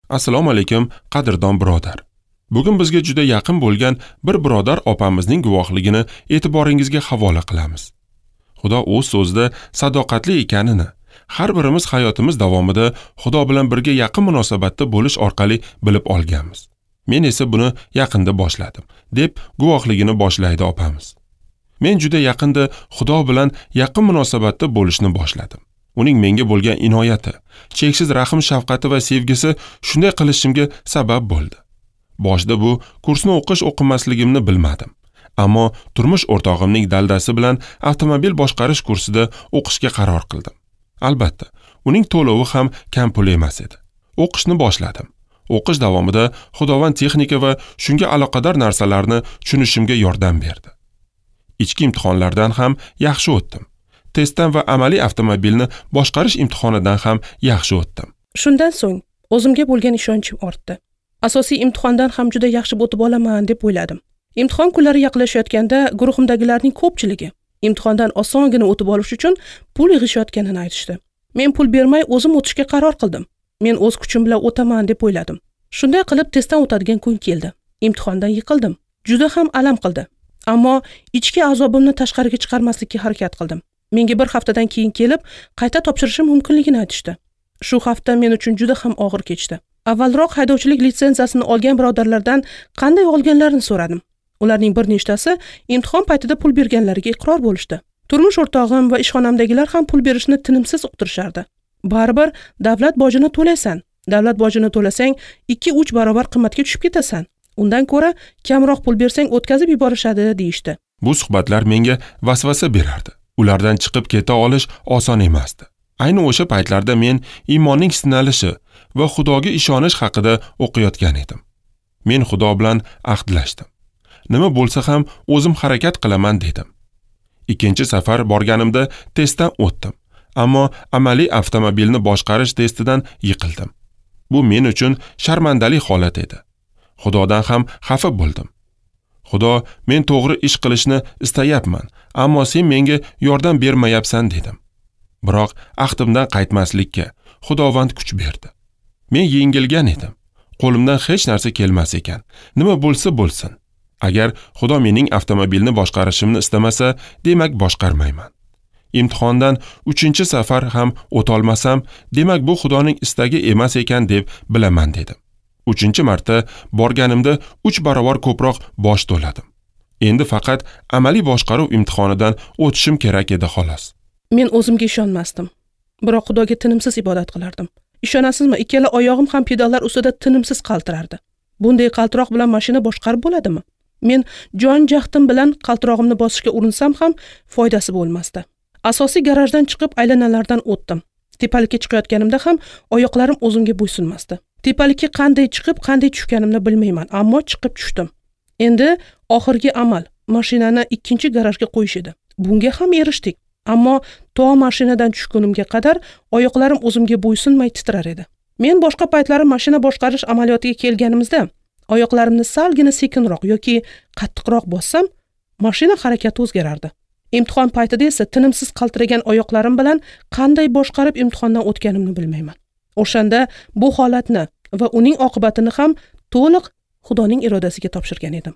Assalomu alaykum, qadrdon birodar. Bugun bizga juda yaqin bo'lgan bir birodar opamizning guvohligini e'tiboringizga havola qilamiz. Xudo o'z so'zida sadoqatli ekanini har birimiz hayotimiz davomida Xudo bilan birga yaqin munosabatda bo'lish orqali bilib olganmiz. Men esa buni yaqinda boshladim, deb guvohligini boshlaydi opamiz. Men juda yaqinda Xudo bilan yaqin munosabatda bo'lishni boshladim. Uning menga bo'lgan inoyati, cheksiz rahm shafqati va sevgisi shunday qilishimga sabab bo'ldi. Boshida bu kursni o'qish o'qimasligimni bilmadim. Ammo turmush o'rtog'imning daldasi bilan avtomobil boshqarish kursida o'qishga qaror qildim. Albatta, uning to'lovi ham kam pul emas edi. O'qishni boshladim. O'qish davomida Xudovand texnika va shunga aloqador narsalarni tushunishimga yordam berdi. Ichki imtihonlardan ham yaxshi o'tdim. Testdan va amaliy avtomobilni boshqarish imtihonidan ham yaxshi o'tdim. Shundan so'ng o'zimga bo'lgan ishonchim ortdi. Asosiy imtihondan ham juda yaxshi o'tib olaman deb o'yladim. Imtihon kunlari yaqinlashayotganda guruhimdagilarning ko'pchiligi imtihondan osongina o'tib olish uchun pul yig'ishayotganini aytishdi. Men pul bermay o'zim o'tishga qaror qildim. Men o'z kuchim bilan o'taman deb o'yladim. Shunday qilib testdan o'tadigan kun keldi. Imtihondan yiqildim. Juda ham alam qildi. Ammo ichki azobimni tashqariga chiqarmaslikka harakat qildim. Menga bir haftadan keyin kelib qayta topshirishim mumkinligini aytishdi. Shu hafta men uchun juda ham og'ir kechdi. Avvalroq haydovchilik litsenziyasini olgan birodarlardan qanday olganlarini so'radim. Ularning bir nechtasi imtihon paytida pul berganlariga iqror bo'lishdi. Turmush o'rtog'im va ishxonamdagilar ham pul berishni tinimsiz uqtirishardi. Baribir davlat bojini to'laysan. Davlat bojini to'lasang 2-3 barobar qimmatga tushib ketasan. Undan ko'ra kamroq pul bersang o'tkazib yuborishadi, deyishdi. Bu suhbatlar menga vasvasa berardi. Ulardan chiqib keta olish oson emasdi. Ayni o'sha paytlarda men iymonning sinalishi va Xudoga ishonish haqida o'qiyotgan edim. Men Xudo bilan ahdlashdim. Nima bo'lsa ham o'zim harakat qilaman dedim. Ikkinchi safar borganimda testdan o'tdim, ammo amaliy avtomobilni boshqarish testidan yiqildim. Bu men uchun sharmandali holat edi. Xudodan ham xafa bo'ldim. Xudo, men to'g'ri ish qilishni istayapman, ammo sen menga yordam bermayapsan dedim. Biroq ahdimdan qaytmaslikka Xudovand kuch berdi. Men yengilgan edim. Qo'limdan hech narsa kelmas ekan. Nima bo'lsa bo'lsin. Agar Xudo mening avtomobilni boshqarishimni istamasa, demak boshqarmayman. Imtihondan 3-safar ham o'tolmasam, demak bu Xudoning istagi emas ekan deb bilaman dedim. 3-marta borganimda 3 barobar ko'proq bosh to'ladim. Endi faqat amaliy boshqaruv imtihonidan o'tishim kerak edi xolos. Men o'zimga ishonmasdim. Biroq Xudoga tinimsiz ibodat qilardim. Ishonasizmi, ikkala oyog'im ham pedallar ustida tinimsiz qaltirardi. Bunday qaltiroq bilan mashina boshqarib bo'ladimi? Men jon jahdim bilan qaltirog'imni bosishga urinsam ham foydasi bo'lmasdi. Asosiy garajdan chiqib aylanalardan o'tdim. Tepalikka chiqayotganimda ham oyoqlarim o'zimga bo'ysunmasdi. Tepalikka qanday chiqib, qanday tushganimni bilmayman, ammo chiqib tushdim. Endi oxirgi amal mashinani ikkinchi garajga qo'yish edi. Bunga ham erishdik. Ammo to mashinadan tushgunimga qadar oyoqlarim o'zimga bo'ysunmay titrar edi. Men boshqa paytlari mashina boshqarish amaliyotiga kelganimizda oyoqlarimni salgina sekinroq yoki qattiqroq bossam, mashina harakati o'zgarardi. Imtihon paytida esa tinimsiz qaltiragan oyoqlarim bilan qanday boshqarib imtihondan o'tganimni bilmayman. O'shanda bu holatni va uning oqibatini ham to'liq Xudoning irodasiga topshirgan edim.